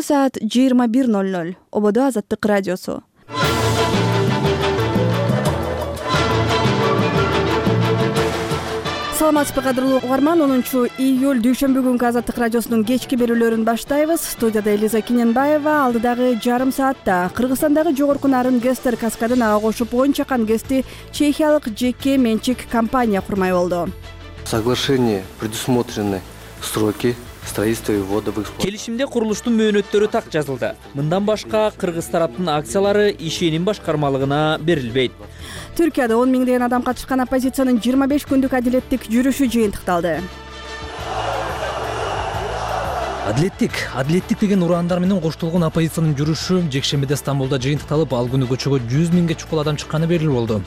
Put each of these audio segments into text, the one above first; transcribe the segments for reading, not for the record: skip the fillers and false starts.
саат 21:00. Ободо Азаттык радиосу. Саламатсызбы кадырлуу угарман, 10-июль дүйшөмбү күнкү Азаттык радиосунун кечки берүүлөрүн баштайбыз. Студияда Элиза Киненбаева. Алдыдагы жарым саатта Кыргызстандагы жогорку нарын Гестер каскадын ага кошуп 10 чакан ГЭСти чехиялык жеке менчик компания курмай болду. В соглашении предусмотрены сроки строительства и ввода в эксплуатацию. Келишимде курулуштун мөөнөттөрү так жазылды. Мындан башка кыргыз тараптын акциялары ишеним башкармалыгына берилбейт. Түркияда 10 миңдеген адам катышкан оппозициянын 25 күндүк адилеттик жүрүшү жыйынтыкталды. Адилеттик деген ураандар менен коштолгон оппозициянын жүрүшү жекшембиде Стамбулда жыйынтыкталып, ал күнү көчөгө 100 миңге чукул адам чыкканы белгилүү болду.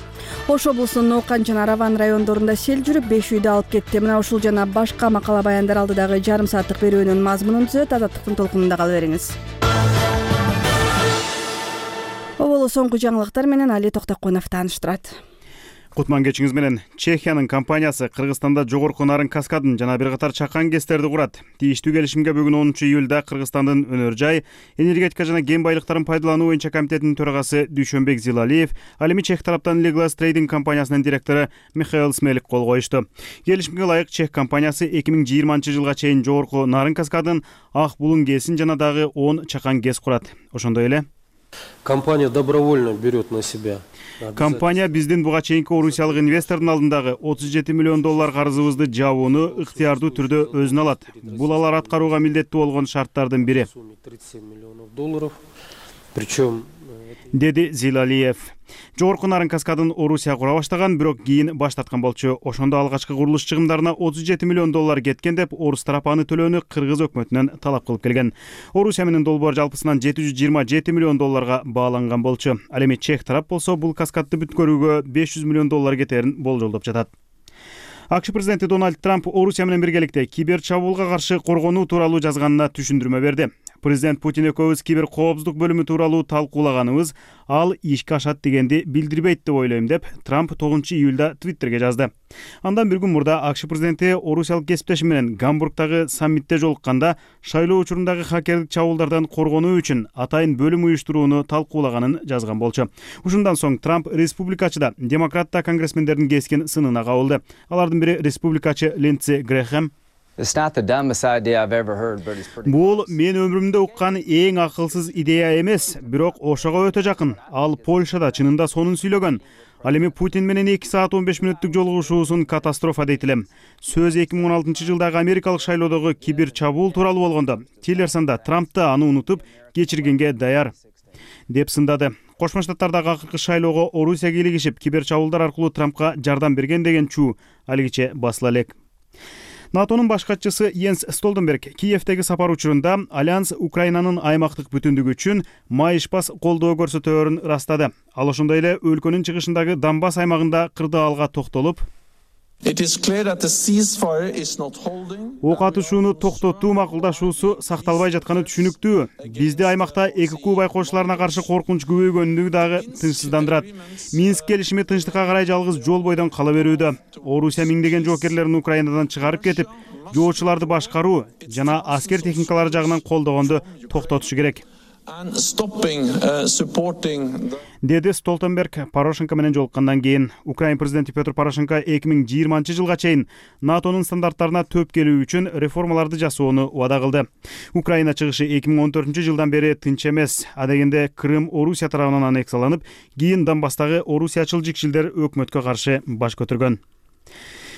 Ош облусунун Ноокан жана Араван райондорунда сел жүрүп 5 үйдү алып кетти. Мына ушул жана башка макала баяндар алдыдагы жарым сааттык берүүнүн мазмунун түзөт. Азаттыктын толкунунда кала бериңиз. Оболу соңку жаңылыктар менен Али Токтокунов тааныштырат. Кутман кечиңиз менен. Чехиянын компаниясы Кыргызстанда жогорку нарын каскадын жана бир катар чакан ГЭСтерди курат. Тийиштүү келишимге бүгүн 10-июлда Кыргызстандын өнөр жай, энергетика жана кен байлыктарын пайдалануу боюнча комитетинин төрагасы Дүйшөнбек Зилалиев, ал эми чех тараптан Leglas Trading компаниясынын директору Михаил Смелик кол коюшту. Келишимге ылайык чех компаниясы 2020-жылга чейин жогорку нарын каскадын, Ак Булуң ГЭСин жана дагы 10 чакан ГЭС курат. Ошондой эле Компания добровольно берет на себя. Компания биздин буга чейинки орусиялык инвестордун алдындагы $37 миллион карызыбызды жабууну ыктыярдуу түрдө өзүнө алат. Бул алар аткарууга милдеттүү болгон шарттардын бири. $37 миллионов. Причем деди Зилалиев. Жогорку нарын каскадын Орусия кура баштаган, бирок кийин баш тарткан болчу. Ошондо алгачкы курулуш чыгымдарына $37 миллион кеткен деп орус тарапы аны төлөөнү кыргыз өкмөтүнөн талап кылып келген. Орусия менен долбоор жалпысынан $727 миллион бааланган болчу. Ал эми чех тарап болсо бул каскадды бүткөрүүгө $500 миллион кетерин болжолдоп жатат. АКШ президенти Дональд Трамп Орусия менен биргеликте кибер чабуулга каршы коргонуу тууралуу жазганына түшүндүрмө берди. Президент Путин экөөбүз кибер коопсуздук бөлүмү тууралуу талкуулаганыбыз ал ишке ашат дегенди билдирбейт деп ойлойм деп Трамп 9-июлда Твиттерге жазды. Андан бир күн мурда АКШ президенти орусиялык кесиптеши менен Гамбургдагы саммитте жолукканда шайлоо учурундагы хакерлик чабуулдардан коргонуу үчүн атайын бөлүм уюштурууну талкуулаганын жазган болчу. Ушундан соң Трамп республикачыда, демократта конгрессмендердин кескин сынына кабылды. Алардын бири республикачы Линдси Грэхэм. Бул мен өмүрүмдө уккан эң акылсыз идея эмес, бирок ошого өтө жакын. Ал Польшада чынында сонун сүйлөгөн. Ал эми Путин менен 2 саат 15 мүнөттүк жолугушуусун катастрофа дейт элем. Сөз 2016-жылдагы америкалык шайлоодогу кибер чабуул тууралуу болгондо Тиллерсонда Трампты аны унутуп кечиргенге даяр деп сындады. Кошмо Штаттардагы акыркы шайлоого Орусия кийлигишип, кибер чабуулдар аркылуу Трампка жардам берген деген чуу алигиче басыла элек. НАТОнун баш катчысы Йенс Столтенберг Киевдеги сапар учурунда Альянс Украинанын аймактык бүтүндүгү үчүн майышпас колдоо көрсөтөөрүн ырастады. Ал ошондой эле өлкөнүн чыгышындагы Донбасс аймагында кырдаалга токтолуп, ок атышууну токтотуу макулдашуусу сакталбай жатканы түшүнүктүү. Бизди аймакта ЭКК байкоочуларына каршы коркунуч көбөйгөнүгү дагы тынчсыздандырат. Минск келишими тынчтыкка карай жалгыз жол бойдон кала берүүдө. Орусия миңдеген жоокерлерин Украинадан чыгарып кетип, жоочуларды башкаруу жана аскер техникалары жагынан колдогонду токтотушу керек. Деди Столтенберг Порошенко менен жолуккандан кийин. Украин президенти Петр Порошенко 2020-жылга чейин НАТОнун стандарттарына төп келүү үчүн реформаларды жасоону убада кылды. Украина чыгышы 2014-жылдан бери тынч эмес. Адегенде Крым Орусия тарабынан аннексияланып, кийин Донбасстагы орусиячыл жикшилдер өкмөткө каршы баш көтөргөн.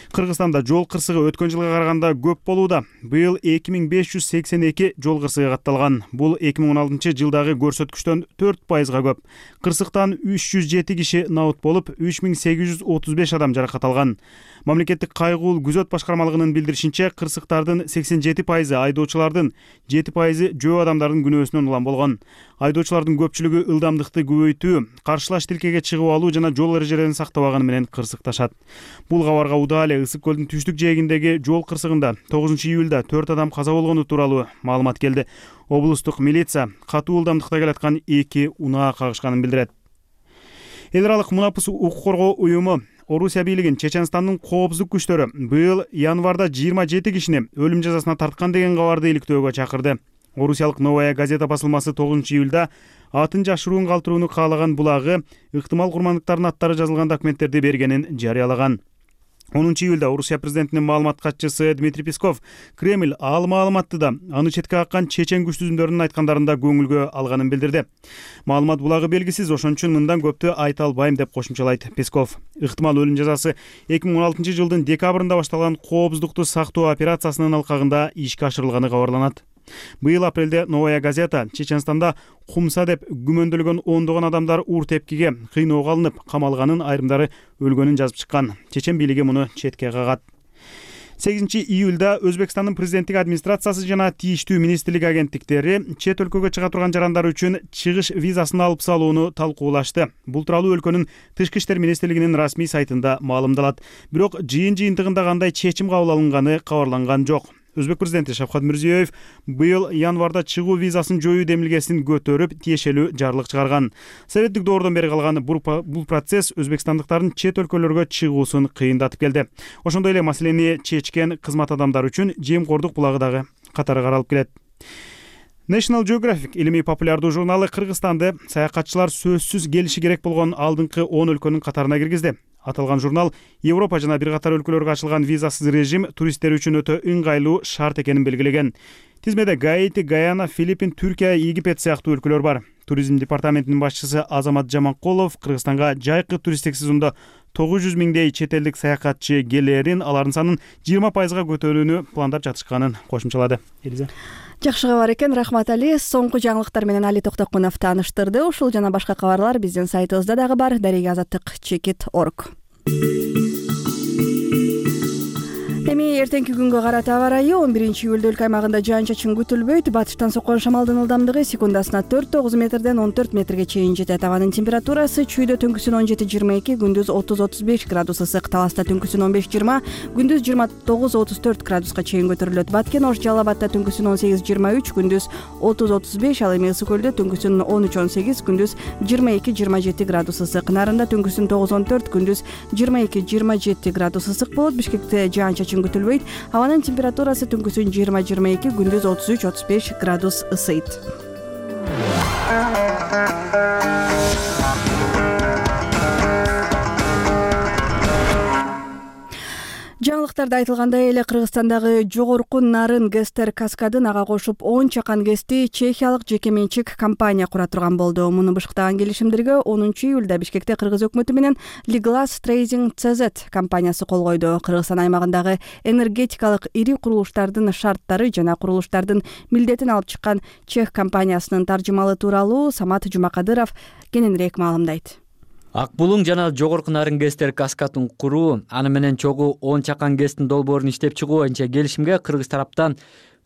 Кыргызстанда жол кырсыгы өткөн жылга караганда көп болууда. Быйыл 2582 жол кырсыгы катталган. Бул 2016-жылдагы көрсөткүчтөн 4% көп. Кырсыктан 307 киши наут болуп, 3835 адам жаракат алган. Мамлекеттик кайгуу күзөт башкармалыгынын билдиришинче, кырсыктардын 87% айдоочулардын, 7% жөө адамдардын күнөөсүнөн улам болгон. Айдоочулардын көпчүлүгү ылдамдыкты көбөйтүү, каршылаш тилкеге чыгып алуу жана жол эрежелерин сактабаганы менен кырсыкташат. Бул кабарга удаа эле Ысык көлдүн түштүк жээгиндеги жол кырсыгында 9-июлда 4 адам каза болгону тууралуу маалымат келди. Облустук милиция катуу ылдамдыкта келаткан 2 унаа кагышканын билдирет. Эл аралык мунапыс укук коргоо уюму Орусия бийлигин Чеченстандын коопсуздук күчтөрү быйыл январда 27 кишини өлүм жазасына тарткан деген кабарды иликтөөгө чакырды. Орусиялык Новая газета басылмасы 9-июлда атын жашыруун калтырууну каалаган булагы ыктымал курмандыктардын аттары жазылган документтерди бергенин жарыялаган. 10-июлда Орусия президентинин маалымат катчысы Дмитрий Песков Кремль ал маалыматты да аны четке каккан чечен күч түзүмдөрүнүн айткандарында көңүлгө алганын билдирди. Маалымат булагы белгисиз, ошон үчүн мындан көптү айта албайм деп кошумчалайт Песков. Ыктымал өлүм жазасы 2016 жылдын декабрында башталган коопсуздукту сактоо операциясынын алкагында ишке ашырылганы кабарланат. Быйыл апрелде Новая газета Чеченстанда кумса деп күмөндөлгөн ондогон адамдар уур тепкиге, кыйноого алынып, камалганын, айрымдары өлгөнүн жазып чыккан. Чечен бийлиги муну четке кагат. 8-июлда Өзбекстандын президенттик администрациясы жана тийиштүү министрлик агенттиктери чет өлкөгө чыга турган жарандар үчүн чыгыш визасын алып салууну талкуулашты. Бул тууралуу өлкөнүн Тышкы иштер министрлигинин расмий сайтында маалымдалат. Бирок жыйынтыгында кандай чечим кабыл алынганы кабарланган жок. Өзбек президенти Шавкат Мирзиёев быйыл январда чыгуу визасын жоюу демилгесин көтөрүп, тиешелүү жарлык чыгарган. Советтик доордон бери калган бул процесс өзбекстандыктардын чет өлкөлөргө чыгуусун кыйындатып келди. Ошондой эле маселени чечкен кызмат адамдары үчүн жемкордук булагы дагы катары каралып келет. National Geographic илимий популярдуу журналы Кыргызстанды саякатчылар сөзсүз келиши керек болгон алдыңкы 10 өлкөнүн катарына киргизди. Аталган журнал Европа жана бир катар өлкөлөргө ачылган визасыз режим туристтер үчүн өтө ыңгайлуу шарт экенин белгилеген. Тизмеде Гаити, Гаяна, Филиппин, Түркия, Египет сыяктуу өлкөлөр бар. Туризм департаментинин башчысы Азамат Жаманкулов Кыргызстанга жайкы туристтик сезондо 900 миңдей чет элдик саякатчы келерин, алардын санын 20%га көтөрүүнү пландап жатышканын кошумчалады. Элиза. Жакшы кабар экен, рахмат Али. Соңку жаңылыктар менен Али Токтокунов тааныштырды. Ушул жана башка кабарлар биздин сайтыбызда дагы бар. Дареги Азаттык.org. Эми эртеңки күнгө карата аба ырайы 11-июлда өлкө аймагында жаан-чачын күтүлбөйт. Батыштан соккон шамалдын ылдамдыгы секундасына 4-9 метрден 14 метрге чейин жетет. Абанын температурасы чүйдө түнкүсүн 17-22, күндүз 30-35 градус ысык, таласта түнкүсүн 15-20, күндүз 29-34 градуска чейин көтөрүлөт. Баткен, Ош, Жалал Абадта түнкүсүн 18-23, күндүз 30-35, ал эми Ысык көлдө түнкүсүн 13-18, күндүз 22-27 градус ысык. Нарында түнкүсүн 9-14, күндүз 22-27 градус ысык болот. Бишкекте жаан-чачын күтүлбөйт. Абанын температурасы түнкүсүн 20-22, күндүз 33-35 градус ысыйт. Жаңылыктарда айтылгандай эле Кыргызстандагы жогорку нарын Гестер каскадын ага кошуп 10 чакан гэсти чехиялык жеке менчик компания кура турган болду. Муну бышыктаган келишимдерге 10-июлда Бишкекте Кыргыз өкмөтү менен Liglas Trading CZ компаниясы кол койду. Кыргызстан аймагындагы энергетикалык ири курулуштардын шарттары жана курулуштардын милдетин алып чыккан чех компаниясынын таржымалы тууралуу Самат Жумакадыров кененирээк маалымдайт. Ак булуң жана жогорку нарын Гестер каскадын куруу, аны менен чогуу 10 чакан гэстин долбоорун иштеп чыгуу боюнча келишимге Кыргыз тараптан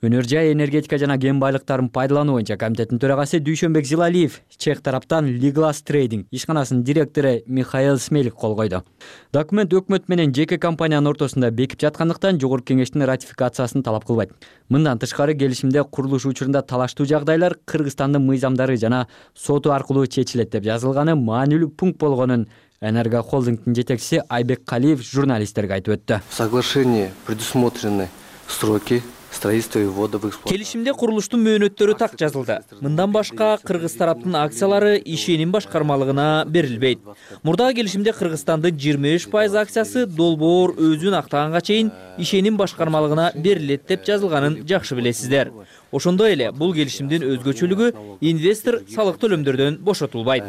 өнөр жай энергетика жана кен байлыктарын пайдалануу боюнча комитеттин төрагасы Дүйшөнбек Зилалиев, чех тараптан Liglas Trading ишканасынын директору Михаил Смелик кол койду. Документ өкмөт менен жеке компаниянын ортосунда бекип жаткандыктан жогорку кеңештин ратификациясын талап кылбайт. Мындан тышкары келишимде курулуш учурунда талаштуу жагдайлар Кыргызстандын мыйзамдары жана соту аркылуу чечилет деп жазылганы маанилүү пункт болгонун Энерго холдингдин жетекчиси Айбек Калиев журналисттерге айтып өттү. В соглашении предусмотрены сроки строительства и ввода в эксплуатацию. Келишимде курулуштун мөөнөттөрү так жазылды. Мындан башка Кыргыз тараптын акциялары ишеним башкармалыгына берилбейт. Мурдагы келишимде Кыргызстандын 25% акциясы долбоор өзүн актаганга чейин ишеним башкармалыгына берилет деп жазылганын жакшы билесиздер. Ошондой эле бул келишимдин өзгөчөлүгү инвестор салык төлөмдөрдөн бошотулбайт.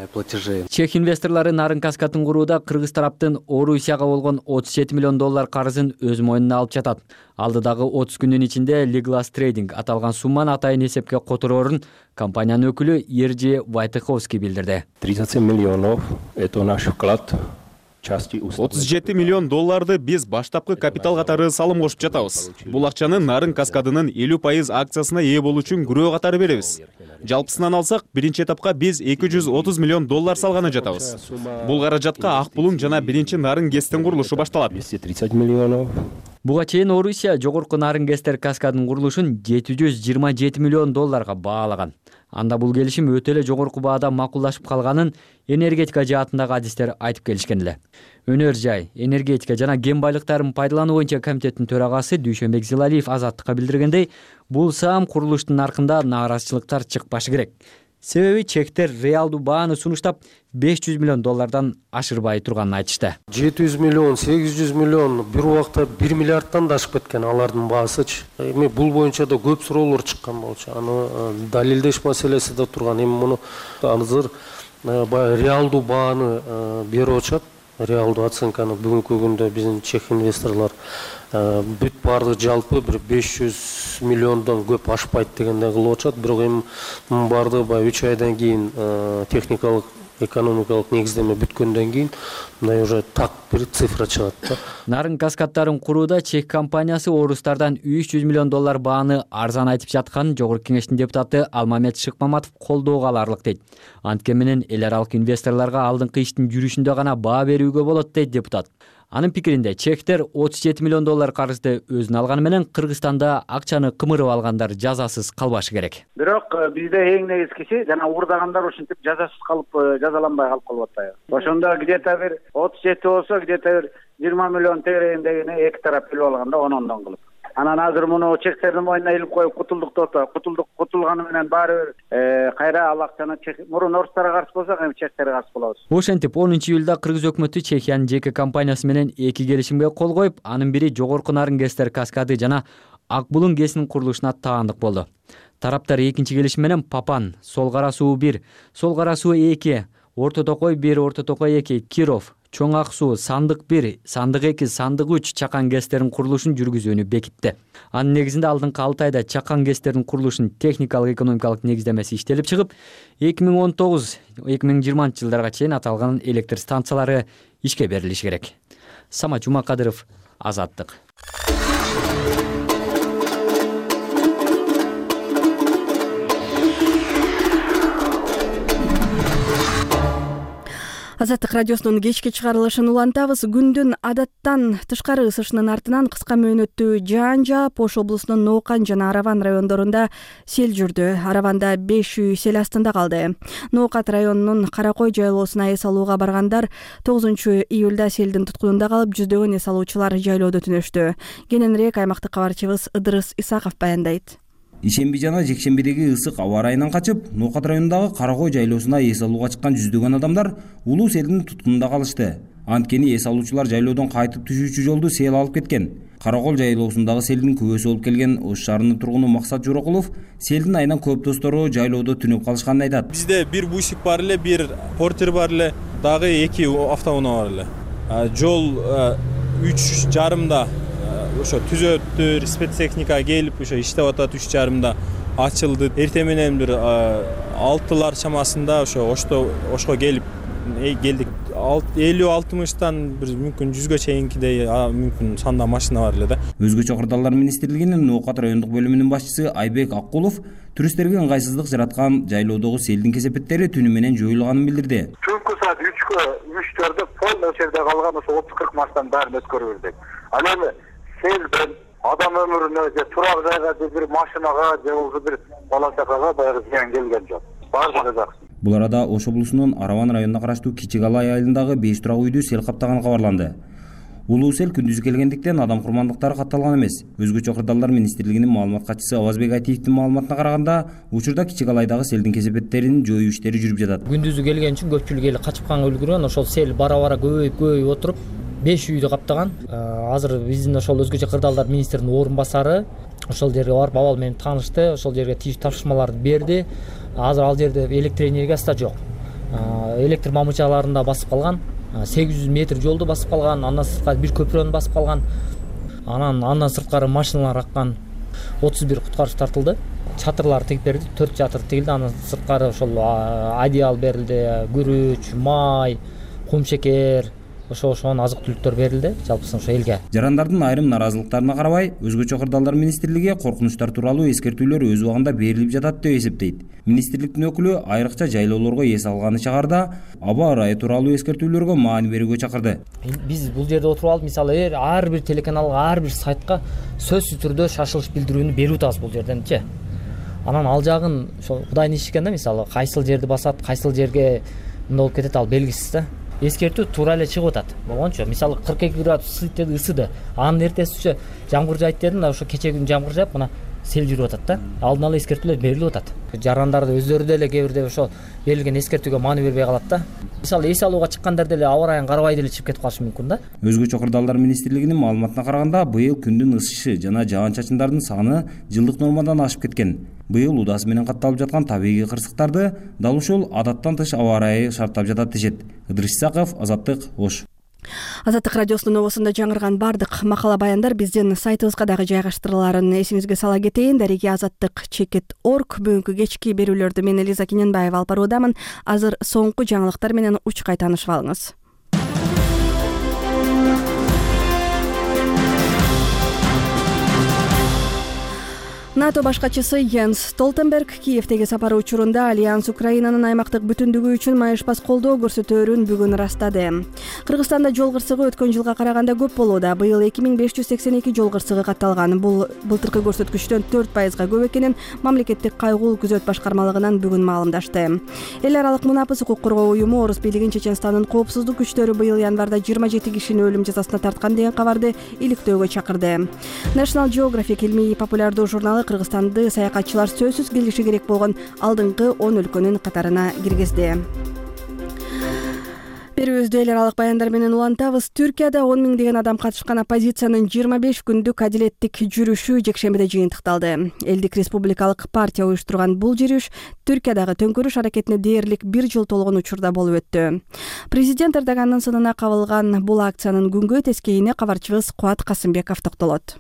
Чех инвесторлору нарын каскадын курууда Кыргыз тараптын Орусияга болгон 37 миллион доллар карызын өз мойнуна алып жатат. Алдыдагы 30 күндүн ичинде Liglas Trading аталган сумманы атайын эсепке котороорун компаниянын өкүлү Ержи Вайтыховский билдирди. 37 миллионов – это наш вклад. 37 миллион долларды биз баштапкы капитал катары салым кошуп жатабыз. Бул акчаны нарын каскадынын 50% акциясына ээ болуу үчүн күрөө катары беребиз. Жалпысынан алсак, биринчи этапка биз 230 миллион доллар салганы жатабыз. Бул каражатка ак булуң жана биринчи нарын гэстин курулушу башталат. 230 миллионов Буга чейин Орусия жогорку нарын ГЭСтер каскадынын курулушун $727 миллион баалаган. Анда бул келишим өтө эле жогорку баада макулдашып калганын энергетика жаатындагы адистер айтып келишкен эле. Өнөр жай, энергетика жана кен байлыктарын пайдалануу боюнча комитеттин төрагасы Дүйшөнбек Зилалиев Азаттыкка билдиргендей, бул саам курулуштун наркында нааразычылыктар чыкпашы керек. Себеби чектер реалдуу бааны сунуштап $500 миллион ашырбай турганын айтышты. 700 миллион, 800 миллион бир убакта 1 миллиардтан да ашып кеткен алардын баасычы. Эми бул боюнча да көп суроолор чыккан болчу. Аны далилдеш маселеси да турган. Эми муну азыр реалдуу бааны берип атышат. Реалдуу оценканы бүгүнкү күндө биздин чех инвесторлор бүт баардыгы жалпы бир 500 миллиондон көп ашпайт дегенде кылып атышат. Бирок эми баардыгы баягы 3 айдан кийин техникалык экономикалык негиздеме бүткөндөн кийин мындай уже так бир цифра чыгат да. Нарын каскаддарын курууда чех компаниясы орустардан $300 миллион бааны арзан айтып жатканын Жогорку кеңештин депутаты Алмамет Шыкмаматов колдоого аларлык дейт. Анткени менен эл аралык инвесторлорго алдыңкы иштин жүрүшүндө гана баа берүүгө болот дейт депутат. Анын пикиринде чехтер $37 миллион карызды өзүнө алганы менен Кыргызстанда акчаны кымырып алгандар жазасыз калбашы керек. Бирок бизде эң негизгиси жана уурдагандар ушинтип жазасыз калып жазаланбай калып калып атат. Ошондо где-то бир 37 болсо, где-то бир 20 миллион тегерегиндегини эки тарап билип алганда онондон кылып. Анан азыр муну чехтердин мойнуна илип коюп кутулганы менен баары бир кайра ал акчаны мурун орустарга каршы болсок, эми чехтерге каршы болобуз. Ошентип 10-июлда Кыргыз өкмөтү Чехиянын жеке компаниясы менен 2 келишимге кол коюп, анын бири жогорку нарын ГЭСтер каскады жана Ак Булуң ГЭСинин курулушуна таандык болду. Тараптар экинчи келишим менен Папан, Сол Кара суу 1, Сол Кара суу 2, Орто Токой 1, Орто Токой 2, Киров, Чоң Ак суу, Сандык 1, Сандык 2, Сандык 3 чакан ГЭСтерин курулушун жүргүзүүнү бекитти. Анын негизинде алдыңкы 6 айда чакан ГЭСтерин курулушунун техникалык экономикалык негиздемеси иштелип чыгып, 2019-2020 жылдарга чейин аталган электр станциялары ишке берилиши керек. Самат Жумакадыров, Азаттык. Азаттык радиосунун кечки чыгарылышын улантабыз. Күндүн адаттан тышкары ысышынын артынан кыска мөөнөттүү жаан жаап, Ош облусунун Ноокан жана Араван райондорунда сел жүрдү. Араванда 5 үй сел астында калды. Ноокат районунун Каракой жайлоосуна эс алууга баргандар 9-июлда селдин туткунунда калып, жүздөгөн эс алуучулар жайлоодо түнөштү. Кененирээк аймактык кабарчыбыз Ыдырыс Исаков баяндайт. Ишемби жана жекшембидеги ысык аба ырайынан качып, Ноокат районундагы Каракой жайлоосуна эс алууга чыккан жүздөгөн адамдар улуу селдин туткунунда калышты. Анткени эс алуучулар жайлоодон кайтып түшүүчү жолду сел алып кеткен. Каракол жайлоосундагы селдин күбөсү болуп келген Ош шаарынын тургуну Максат Жорокулов селдин айынан көп достору жайлоодо түнөп калышканын айтат. Бизде бир бусик бар эле, бир портер бар эле, дагы 2 автоунаа бар эле. Жол 3:30 ошо түзөттүр, спецтехника келип ошо иштеп атат. 3:30 ачылды. Эртең менен бир 6-лар чамасында Ошко келип келдик. 50-60тан бир мүмкүн 100га чейинкидей мүмкүн санда машина бар эле да. Өзгөчө кырдаалдар министрлигинин Ноокат райондук бөлүмүнүн башчысы Айбек Аккулов туристтерге ыңгайсыздык жараткан жайлоодогу селдин кесепеттери түнү менен жоюлганын билдирди. Түнкү саат 3:40 полный жерде калган ошо 30-40 маштан баарын өткөрүп бердик. Анан селден адам өмүрүнө же турак жайга же бир машинага же болбосо бир бала чакага баягы зыян келген жок. Баардыгы жакшы. Бул арада Ош облусунун Араван районуна караштуу Кичи Калай айылындагы 5 турак үйдү сел каптаганы кабарланды. Улуу сел күндүз келгендиктен адам курмандыктары катталган эмес. Өзгөчө кырдаалдар министрлигинин маалымат катчысы Абазбек Айтиевдин маалыматына караганда, учурда Кичи Калайдагы селдин кесепеттерин жоюу иштери жүрүп жатат. Күндүзү келген үчүн көпчүлүк эл качып калганга үлгүргөн. Ошол сел бара-бара көбөйүп отуруп 5 үйдү каптаган. Азыр биздин ошол өзгөчө кырдаалдар министринин орун басары ошол жерге барып абал менен таанышты, ошол жерге тийиштүү тапшырмаларды берди. Азыр ал жерде электр энергиясы да жок. Электр мамычаларында басып калган. 800 метр жолду басып калган, андан сырткары бир көпүрөнү басып калган. Андан сырткары машиналар аккан. 31 куткаруучу тартылды. Чатырлар тигип берди, 4 чатыр тигилди. Андан сырткары ошол одеял берилди, күрүч, май, кум шекер, ошону азык түлүктөр берилди жалпысынан ошо элге. Жарандардын айрым наразылыктарына карабай, өзгөчө кырдаалдар министрлиги коркунучтар тууралуу эскертүүлөр өз убагында берилип жатат деп эсептейт. Министрликтин өкүлү айрыкча жайлоолорго эс алганы чыгарда аба ырайы тууралуу эскертүүлөргө маани берүүгө чакырды. Биз бул жерде отуруп алып, мисалы ар бир телеканалга, ар бир сайтка сөзсүз түрдө шашылыш билдирүүнү берип атабыз бул жерденчи. Анан ал жагын ошо Кудайдын иши экен да, мисалы кайсыл жерди басат, кайсыл жерге мындай болуп кетет, ал белгисиз да. Эскертүү туура эле чыгып атат. Болгончу мисалы 42 градус ысыйт деди, ысыды. Анын эртесинче жамгыр жайт деди, мына ошо кечеги күнү жамгыр жаап, мына сел жүрүп атат да. Алдын ала эскертүүлөр берилип атат. Жарандар өздөрү деле кээ бирде ошо берилген эскертүүгө маани бербей калат да. Мисалы эс алууга чыккандар деле аба ырайын карабай деле чыгып кетип калышы мүмкүн да. Өзгөчө кырдаалдар министрлигинин маалыматына караганда, быйыл күндүн ысышы жана жаан-чачындардын саны жылдык нормадан ашып кеткен. Быйыл удасы менен катталып жаткан табигый кырсыктарды дал ушул адаттан тыш аба ырайы шарттап жатат дешет. Ыдырыс Исаков, Азаттык, Ош. Азаттык радиосунун обосунда жаңырган бардык макала баяндар биздин сайтыбызга дагы жайгаштырылаарын эсиңизге сала кетейин. Дареги Азаттык.org бүгүнкү кечки берүүлөрдү мен Элиза Киненбаева алып баруудамын. Азыр соңку жаңылыктар менен учкай таанышып алыңыз. НАТО башкачысы Йенс Столтенберг Киевдеги сапары учурунда Альянс Украинанын аймактык бүтүндүгү үчүн майышпас колдоо көрсөтөөрүн бүгүн ырастады. Кыргызстанда жол кырсыгы өткөн жылга караганда көп болууда. Быйыл 2582 жол кырсыгы катталган. Бул былтыркы көрсөткүчтөн 4% көп экенин мамлекеттик кайгуу күзөт башкармалыгынан бүгүн маалымдашты. Эл аралык мунапыс укук коргоо уюму Орус бийлигин Чеченстандын коопсуздук күчтөрү быйыл январда 27 кишини өлүм жазасына тарткан деген кабарды иликтөөгө чакырды. National Geographic илмий популярдуу журналы Кыргызстанды саякатчылар сөзсүз келиши керек болгон алдыңкы 10 өлкөнүн катарына киргизди. Берүүбүздү эл аралык баяндар менен улантабыз. Түркияда 10 миңдеген адам катышкан оппозициянын 25 күндүк адилеттик жүрүшү жекшембиде жыйынтыкталды. Элдик республикалык партия уюштурган бул жүрүш Түркиядагы төңкөрүш аракетине дээрлик 1 жыл толгон учурда болуп өттү. Президент Эрдогандын сынына кабылган бул акциянын күнгөй тескейине кабарчыбыз Кубат Касымбеков токтолот.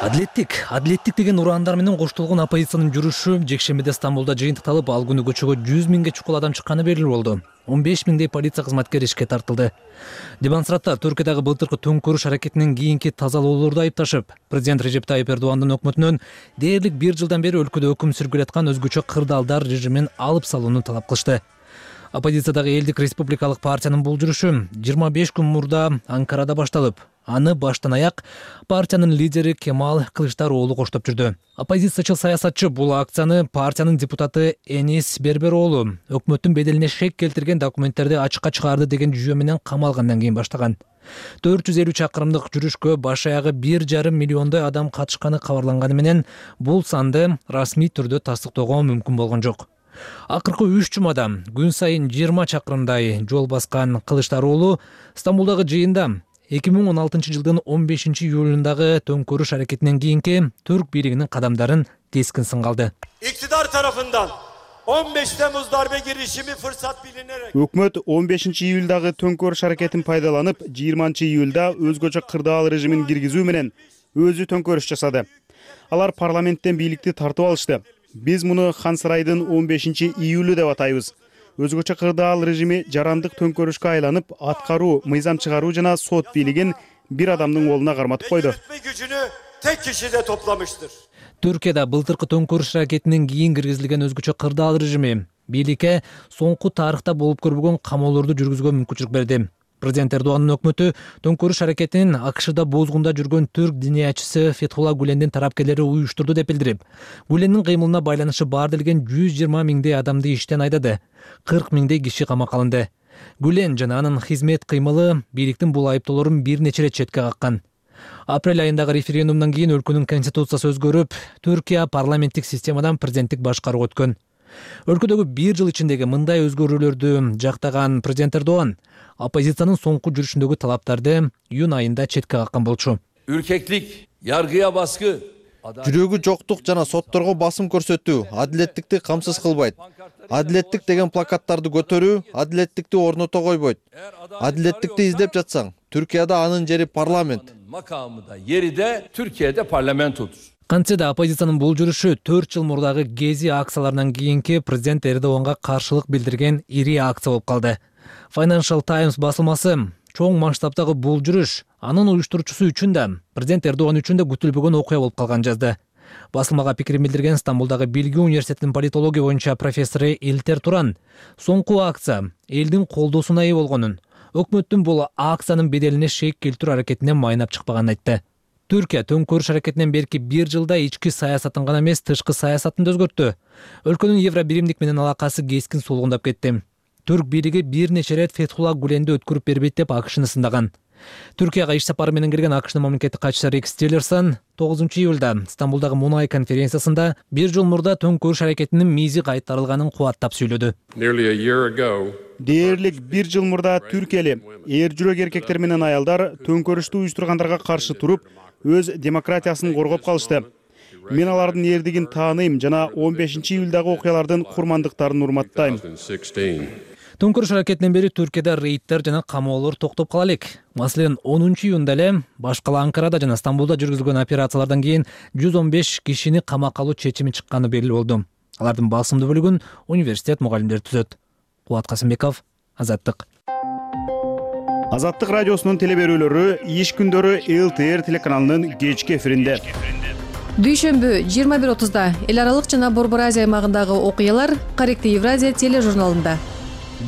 Адилеттик деген ураандар менен коштолгон оппозициянын жүрүшү жекшембиде Стамбулда жыйынтыкталып, ал күнү көчөгө 100 миңге чукул адам чыкканы белгилүү болду. 15 миңдей полиция кызматкери ишке тартылды. Демонстранттар Түркиядагы былтыркы төңкөрүш аракетинен кийинки тазалоолорду айыпташып, президент Режеп Тайип Эрдогандын өкмөтүнөн дээрлик 1 жылдан бери өлкөдө өкүм сүргүлөп аткан өзгөчө кырдаалдар режимин алып салууну талап кылышты. Оппозициядагы Элдик республикалык партиянын бул жүрүшү 25 күн мурда Анкарада башталып, аны баштан аяк партиянын лидери Кемал Кылычдароğlu коштоп жүрдү. Оппозициячыл саясатчы бул акцияны партиянын депутаты Энис Бербероğlu өкмөттүн беделине шек келтирген документтерди ачыкка чыгарды деген жүйө менен камалгандан кийин баштаган. 450 чакырымдык жүрүшкө баш аягы 1,5 миллиондой адам катышканы кабарланганы менен бул санды расмий түрдө тастыктоого мүмкүн болгон жок. Акыркы 3 жумада күн сайын 20 чакырымдай жол баскан Кылычдароğlu Стамбулдагы жыйында 2016 жылдын 15 июлундагы төңкөрүш аракетинен кийинки Түрк бийлигинин кадамдарын кескин сынга алды. İktidar tarafından 15 Temmuz darbe girişimi fırsat bilinerek Өкмөт 15 июлдагы төңкөрүш аракетин пайдаланып, 20 июлда өзгөчө кырдаал режимин киргизүү менен өзү төңкөрүш жасады. Алар парламенттен бийликти тартып алышты. Биз муну Хан Сарайдын 15 июлу деп атайбыз. Өзгөчө кырдаал режими жарандык төңкөрүшкө айланып, аткаруу, мыйзам чыгаруу жана сот бийлигин бир адамдын колуна карматып койду. gücünü tek kişide toplamıştır. Түркияда былтыркы төңкөрүш аракетинен кийин киргизилген өзгөчө кырдаал режими бийликке соңку тарыхта болуп көрбөгөн камоолорду жүргүзүүгө мүмкүнчүлүк берди. Президент Эрдогандын өкмөтү төңкөрүш аракетинин АКШда бозгунда жүргөн түрк диниячысы Фетхулла Гулендин тарапкерлери уюштурду деп билдирип, Гулендин кыймылына байланышы бар делген 120 миңдей адамды иштен айдады, 40 миңдей киши камакка алынды. Гулен жана анын хизмет кыймылы бийликтин бул айыптоолорун бир нече ирет четке каккан. Апрель айындагы референдумдан кийин өлкөнүн конституциясы өзгөрүп, Түркия парламенттик системадан президенттик башкарууга өткөн. Өлкөдөгү 1 жыл ичиндеги мындай өзгөрүүлөрдү жактаган президент Эрдоган оппозициянын соңку жүрүшүндөгү талаптарды июнь айында четке каккан болчу. Ürkeklik, yargıya baskı, жүрөгү жоктук жана сотторго басым көрсөтүү адилеттикти камсыз кылбайт. Адилеттик деген плакаттарды көтөрүү адилеттикти орното койбойт. Адилеттикти издеп жатсаң, Түркияда анын жери парламент. Makamı da yeri de Türkiye'de parlamentodur. Кантсе да оппозициянын бул жүрүшү 4 жыл мурдагы Гези акцияларынан кийинки президент Эрдоганга каршылык билдирген ири акция болуп калды. Financial Times басылмасы чоң масштабтагы бул жүрүш анын уюштуруучусу үчүн да, президент Эрдоган үчүн да күтүлбөгөн окуя болуп калган жазды. Басылмага пикирин билдирген Стамбулдагы Билги университетинин политология боюнча профессору Илтер Туран соңку акция элдин колдоосуна ээ болгонун, өкмөттүн бул акциянын беделине шек келтирүү аракетине майнап чыкпаганын айтты. Түркия төңкөрүш аракетинен берки 1 жылда ички саясатын гана эмес, тышкы саясатын да өзгөрттү. Өлкөнүн евро биримдик менен алакасы кескин сулгундап кетти. Түрк бийлиги бир нече ирет Фетхулла Гуленди өткөрүп бербейт деп АКШны сындаган. Түркияга иш сапары менен кирген АКШнын мамлекеттик катчысы Рекс Тиллерсон 9 июлда Стамбулдагы Мунай конференциясында 1 жыл мурда төңкөрүш аракетинин мизи кайтарылганын кубаттап сүйлөдү. Дээрлик 1 жыл мурда Түркияли эр жүрөк эркектер менен аялдар төңкөрүштү уюштургандарга каршы туруп, өз демократиясын коргоп калышты. Мен алардын эрдигин тааныйм жана 15 июлдагы окуялардын курмандыктарын урматтайм. Төңкөрүш аракетинен бери Түркияда рейдтер жана камоолор токтоп кала элек. Маселен, 10 июнда эле баш кала Анкарада жана Стамбулда жүргүзүлгөн операциялардан кийин 115 кишини камакка алуу чечими чыкканы белгилүү болду. Алардын басымдуу бөлүгүн университет мугалимдери түзөт. Кубат Касымбеков, Азаттык. Азаттык радиосунун телеберүүлөрү иш күндөрү ЛТР телеканалынын кечки эфиринде. Дүйшөмбү 21:30 эл аралык жана Борбор Азия аймагындагы окуялар Корректив Евразия тележурналында.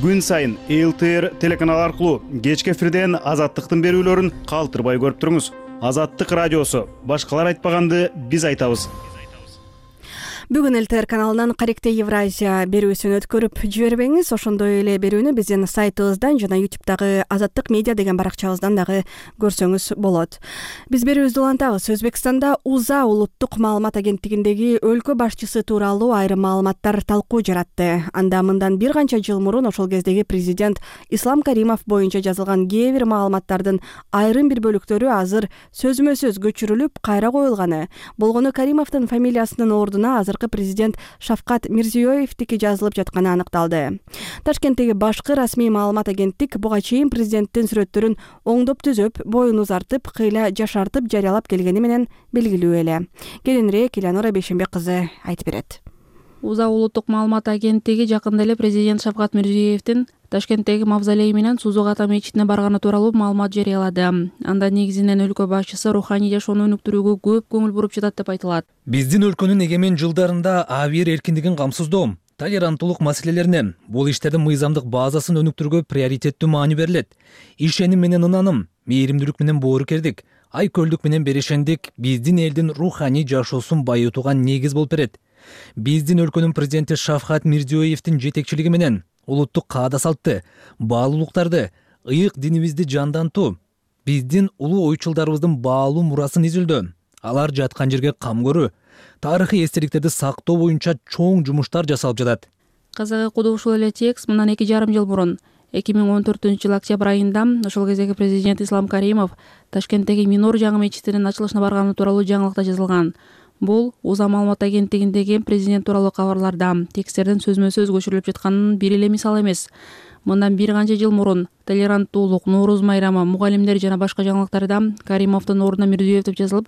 Күн сайын ЛТР телеканалы аркылуу кечки эфирден Азаттыктын берүүлөрүн калтырбай көрүп туруңуз. Азаттык радиосу. Башкалар айтпаганды биз айтабыз. Бүгүн ЛТР каналынан Корректив Евразия берүүсүн өткөрүп жибербеңиз. Ошондой эле берүүнү биздин сайтыбыздан жана YouTube'дагы Азаттык медиа деген баракчабыздан дагы көрсөңүз болот. Биз берүүбүздү улантабыз. Өзбекстанда УЗА улуттук маалымат агенттигиндеги өлкө башчысы тууралуу айрым маалыматтар талкуу жаратты. Анда мындан бир канча жыл мурун ошол кездеги президент Ислам Каримов боюнча жазылган кээ бир маалыматтардын айрым бир бөлүктөрү азыр сөзмө сөз көчүрүлүп кайра коюлганы. Болгону Каримовдун фамилиясынын ордуна азыр президент Шавкат Мирзиёевдики жазылып жатканы аныкталды. Ташкенттеги башкы расмий маалымат агенттик буга чейин президенттин сүрөттөрүн оңдоп түзөп, боюн узартып, кыйла жашартып жарыялап келгени менен белгилүү эле. Кийинирээк Элеонора Бейшенбек кызы айтып берет. УЗА улуттук маалымат агенттиги жакында эле президент Шавкат Мирзиёевдин Ташкенттеги мавзолей менен Сузук ата мечитине барганы тууралуу маалымат жарыялады. Анда негизинен өлкө башчысы руханий жашоону өнүктүрүүгө көп көңүл буруп жатат деп айтылат. Биздин өлкөнүн эгемен жылдарында абийир эркиндигин камсыздоо, толеранттуулук маселелерине, бул иштердин мыйзамдык базасын өнүктүрүүгө приоритеттүү маани берилет. Ишеним менен ынаным, мээримдүүлүк менен боорукердик, айкөлдүк менен берешендик биздин элдин руханий жашоосун байытууга негиз болуп берет. Биздин өлкөнүн президенти Шавкат Мирзиёевдин жетекчилиги менен улуттук каада салтты, баалуулуктарды, ыйык динибизди жандантуу, биздин улуу ойчулдарыбыздын баалуу мурасын изилдөө, алар жаткан жерге кам көрүү, тарыхый эстеликтерди сактоо боюнча чоң жумуштар жасалып жатат. Кызыгы куду ушул эле текст мындан 2,5 жыл мурун 2014 октябрь айында ошол кездеги президент Ислам Каримов Ташкенттеги Минор жаңы мечитинин ачылышына барганы тууралуу жаңылыкта жазылган. Бул УЗА маалымат агенттигиндеги президент тууралуу кабарларда тексттердин сөзмө сөз көчүрүлүп жатканынын бир эле мисалы эмес. Мындан бир канча жыл мурун толеранттуулук, Нооруз майрамы, мугалимдер жана башка жаңылыктарда Каримовдун ордуна Мирзиёев деп жазылып,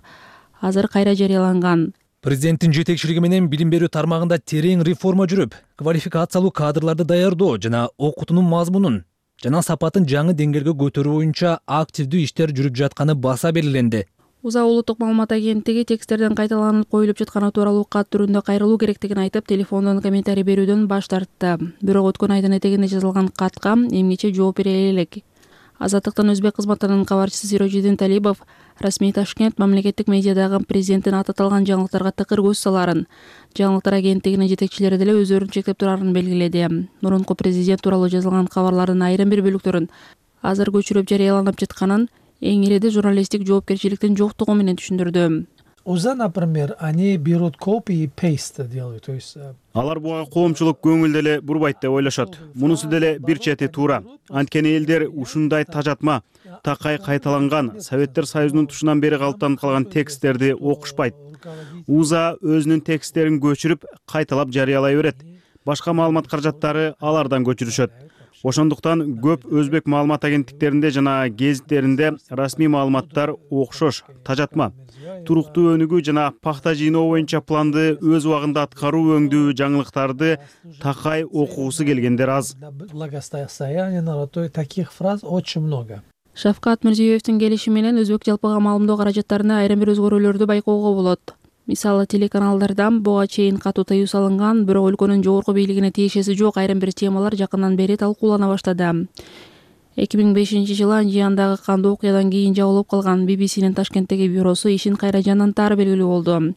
азыр кайра жарыяланган. Президенттин жетекчилиги менен билим берүү тармагында терең реформа жүрүп, квалификациялуу кадрларды даярдоо жана окутуунун мазмунун жана сапатын жаңы деңгээлге көтөрүү боюнча активдүү иштер жүрүп жатканы баса белгиленди. УЗА улуттук маалымат агенттиги тексттерден кайталанып коюлуп жатканы тууралуу кат түрүндө кайрылуу керектигин айтып, телефондон комментарий берүүдөн баш тартты. Бирок өткөн айдын этегинде жазылган катка эмнече жооп бере элек. Азаттыктын өзбек кызматынын кабарчысы Сирожидин Талибов расмий Ташкент мамлекеттик медиадагы президенттин аты аталган жаңылыктарга тыкыр көз саларын, жаңылыктар агенттигинин жетекчилери деле өздөрүн чектеп турарын белгиледи. Мурунку президент тууралуу жазылган кабарлардын айрым бир бөлүктөрүн азыр көчүрүп жарыяланып жатканын эң иреди журналисттик жоопкерчиликтин жоктугу менен түшүндүрдү. УЗА, например, они берут копии и пейст делают, то есть алар буга коомчулук көңүл деле бурбайт деп ойлошот. Мунусу деле бир чети туура. Анткени элдер ушундай тажатма, такай кайталанган Советтер Союзунун тушунан бери калыптанып калган тексттерди окушпайт. УЗА өзүнүн тексттерин көчүрүп, кайталап жарыялай берет. Башка маалымат каражаттары алардан көчүрүшөт. Ошондуктан көп өзбек маалымат агенттиктеринде жана гезиттеринде расмий маалыматтар окшош, тажатма. туруктуу өнүгүү жана пахта жыйноо боюнча планды өз убагында аткаруу өңдүү жаңылыктарды такай окугусу келгендер аз. Благосостояние народа таких фраз очень много. Шавкат Мирзиёевдин келиши менен өзбек жалпыга маалымдоо каражаттарына айрым бир өзгөрүүлөрдү байкоого болот. Мисалы, телеканалдардан буга чейин катуу тыюу салынган, бирок өлкөнүн жогорку бийлигине тиешеси жок айрым бир темалар жакындан бери талкуулана баштады. 2005-жылы Анжияндагы кандуу окуядан кийин жабылып калган BBC'нин Ташкенттеги бюросу ишин кайра жандантаары белгилүү болду.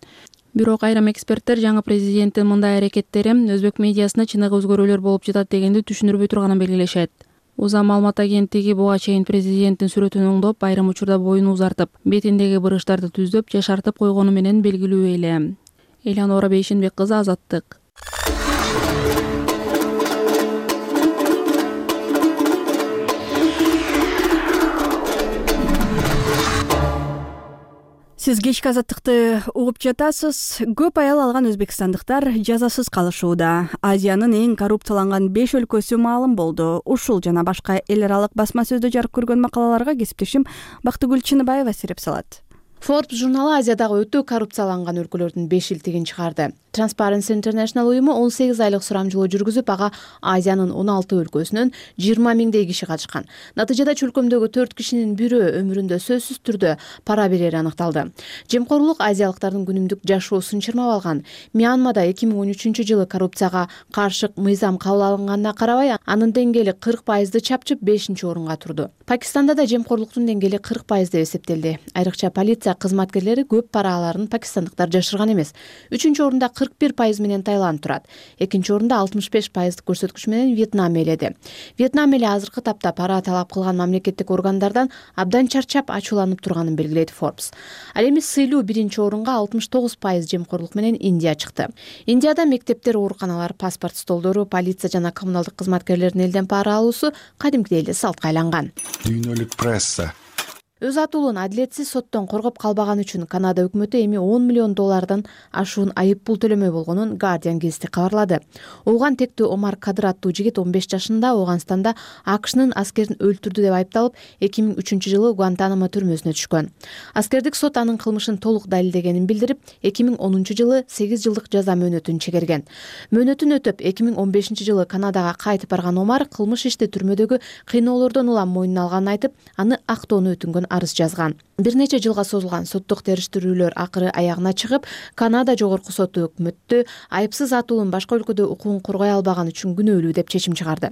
Бирок айрым эксперттер жаңы президенттин мындай аракеттери өзбек медиасына чыныгы өзгөрүүлөр болуп жатат дегенди түшүндүрбөй турганын белгилешет. УЗА маалымат агенттиги буга чейин президенттин сүрөтүн оңдоп, айрым учурда боюн узартып, бетиндеги бырыштарды түздөп, жашартып койгону менен белгилүү эле. Элеонора Бейшенбек кызы, Азаттык. Сиз кечки Азаттыкты угуп жатасыз. Көп аял алган өзбекстандыктар жазасыз калышууда. Азиянын эң коррупцияланган 5 өлкөсү маалым болду. Ушул жана башка эл аралык басма сөздө жарык көргөн макалаларга кесиптешим Бактыгүл Чыныбаева сереп салат. Forbes журналы Азиядагы өтө коррупцияланган өлкөлөрдүн 5-илтигин чыгарды. Transparency International уюму 18 айлык сурамжылоо жүргүзүп, ага Азиянын 16 өлкөсүнөн 20 миңдей киши катышкан. Натыйжада чөлкөмдөгү 4 кишинин бирөө өмүрүндө сөзсүз түрдө пара берери аныкталды. Жемкорлук азиялыктардын күнүмдүк жашоосун чырмап алган. Мьянмада 2013-жылы коррупцияга каршы мыйзам кабыл алынганына карабай, анын деңгээли 40% чапчып 5-орунга турду. Пакистанда да жемкорлуктун деңгээли 40% деп эсептелди. Айрыкча полиция кызматкерлери көп пара аларын пакистандыктар жашырган эмес. 3-орунда 41% менен Таиланд турат. 2-орунда 65% көрсөткүч менен Вьетнам ээледи. Вьетнам эли азыркы тапта пара талап кылган мамлекеттик органдардан абдан чарчап ачууланып турганын белгилейт Forbes. Ал эми сыйлуу 1-орунга 69% жемкорлук менен Индия чыкты. Индияда мектептер, ооруканалар, паспорт столдору, полиция жана коммуналдык кызматкерлердин элден пара алуусу кадимкидей эле салтка айланган. Дүйнөлүк пресса Өз атуулун адилетсиз соттон коргоп калбаганы үчүн Канада өкмөтү эми $10 миллион ашуун айып пул төлөмөй болгонун Guardian гезити кабарлады. Ооган тектүү Омар Кадыр аттуу жигит 15 жашында Ооганстанда AQShnын аскерин өлтүрдү деп айыпталып, 2003-жылы Гуантанамо түрмөсүнө түшкөн. Аскердик сот анын кылмышын толук далилдегенин билдирип, 2010-жылы 8 жылдык жаза мөөнөтүн чегерген. Мөөнөтүн өтөп, 2015-жылы Канадага кайтып барган Омар кылмыш ишти түрмөдөгү кыйноолордон улам мойнуна алганын айтып, аны актоону өтүнгөн арыз жазган. Бир нече жылга созулган соттук териштирүүлөр акыры аягына чыгып, Канада жогорку соту өкмөттү айыпсыз атуулун башка өлкөдө укугун коргой албаганы үчүн күнөөлүү деп чечим чыгарды.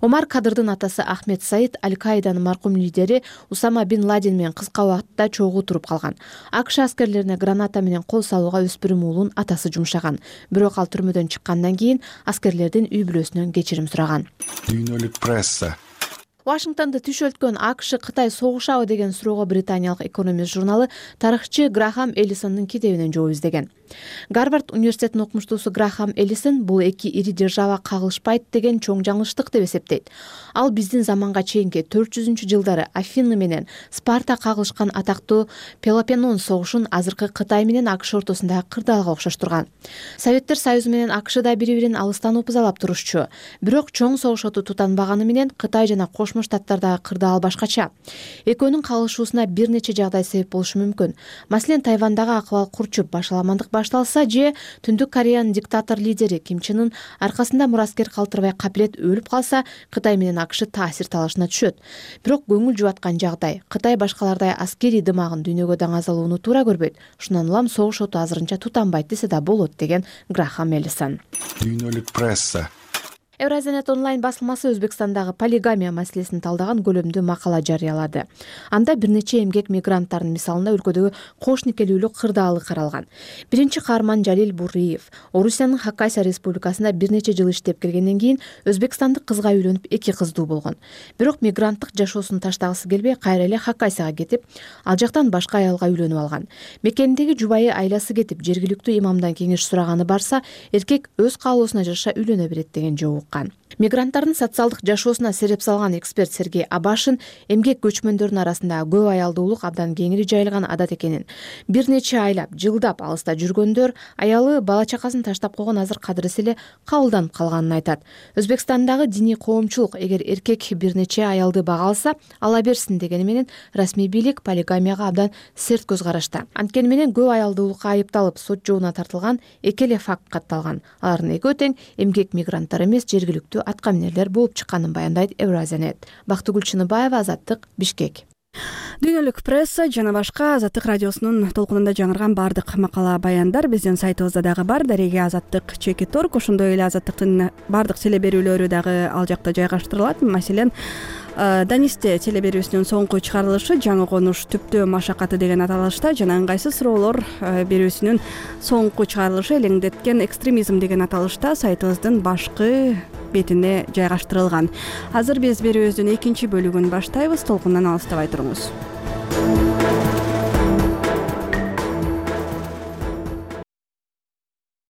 Омар Кадырдын атасы Ахмед Саид Аль-Каиданын маркум лидери Усама бин Ладен менен кыска убакытта чогуу туруп калган. АКШ аскерлерине граната менен кол салууга өспүрүм уулун атасы жумшаган. Бирок ал түрмөдөн чыккандан кийин аскерлердин үй бүлөсүнөн кечирим сураган. Дүйнөлүк пресса Вашингтонду түшөлткөн AQSh Кытай согушабы деген суроого британиялык экономист журналы тарыхчы Грахам Эллисондун китебинен жооп издеген. Гарвард университетинин окумуштуусу Грахам Эллисон бул эки ири держава кагылышпайт деген чоң жаңылыштык деп эсептейт. Ал биздин заманга чейинки 400-жылдары Афины менен Спарта кагылышкан атактуу Пелопоннес согушун азыркы Кытай менен AQSh ортосундагы кырдаалга окшоштурган. Советтер Союзу менен AQSh да бири-бирин алыстан упузалап турушчу. Бирок чоң согуш оту тутанбаганы менен Кытай жана Кошмо Штаттардагы кырдаал башкача. Экөөнүн кагылышуусуна бир нече жагдай себеп болушу мүмкүн. Маселен, Тайвандагы акыбал курчуп башаламандык башталса же Түндүк Кореянын диктатор лидери Ким Чен Ын аркасында мураскер калтырбай капилет өлүп калса, Кытай менен AQSh таасир талашына түшөт. Бирок көңүл жубаткан жагдай, Кытай башкалардай аскерий дымагын дүйнөгө даңазалоону туура көрбөйт. Шундан улам согуш оту азырынча тутанбайт десе да болот деген Грахам Эллисон. Дүйнөлүк пресса Евразиянет онлайн басылмасы Өзбекстандагы полигамия маселесин талдаган көлөмдүү макала жарыялады. Анда бир нече эмгек мигранттардын мисалында өлкөдөгү кош никелүүлүк кырдаалы каралган. Биринчи каарман Жалил Буриев Орусиянын Хакасия республикасында бир нече жыл иштеп келгенден кийин өзбекстандык кызга үйлөнүп 2 кыздуу болгон. Бирок мигранттык жашоосун таштагысы келбей, кайра эле Хакасияга кетип, ал жактан башка аялга үйлөнүп алган. Мекениндеги жубайы айласы кетип, жергиликтүү имамдан кеңеш сураганы барса, эркек өз каалоосуна жараша үйлөнө берет деген жооп уккан. Мигранттардын социалдык жашоосуна сереп салган эксперт Сергей Абашин эмгек көчмөндөрүнүн арасында көп аялдуулук абдан кеңири жайылган адат экенин, бир нече айлап, жылдап алыста жүргөндөр аялы бала чакасын таштап койгон азыр кадырысы эле кабылданып калганын айтат. Өзбекстандагы диний коомчулук эгер эркек бир нече аялды бага алса, ала берсин дегени менен расмий бийлик полигамияга абдан серт көз карашта. Анткени менен көп аялдуулукка айыпталып сот жообуна тартылган эки эле факт катталган. Алардын экөө тең эмгек мигранттар эмес, жергиликтүү атка минерлер болуп чыкканын баяндайт Евразиянет. Бактыгүл Чыныбаева, Азаттык, Бишкек. Дүйнөлүк пресса жана башка Азаттык радиосунун толкунунда жаңырган бардык макала баяндар биздин сайтыбызда дагы бар. Дареге Азаттык.org. Ошондой эле Азаттыктын бардык телеберүүлөрү дагы ал жакта жайгаштырылат. Маселен, Данисте телеберүүсүнүн соңку чыгарылышы жаңы конуш түптөө машакаты деген аталышта жана ыңгайсыз суроолор берүүсүнүн соңку чыгарылышы элеңдеткен экстремизм деген аталышта сайтыбыздын башкы бетине жайгаштырылган. Азыр биз берүүбүздүн экинчи бөлүгүн баштайбыз. Толкундан алыстабай туруңуз.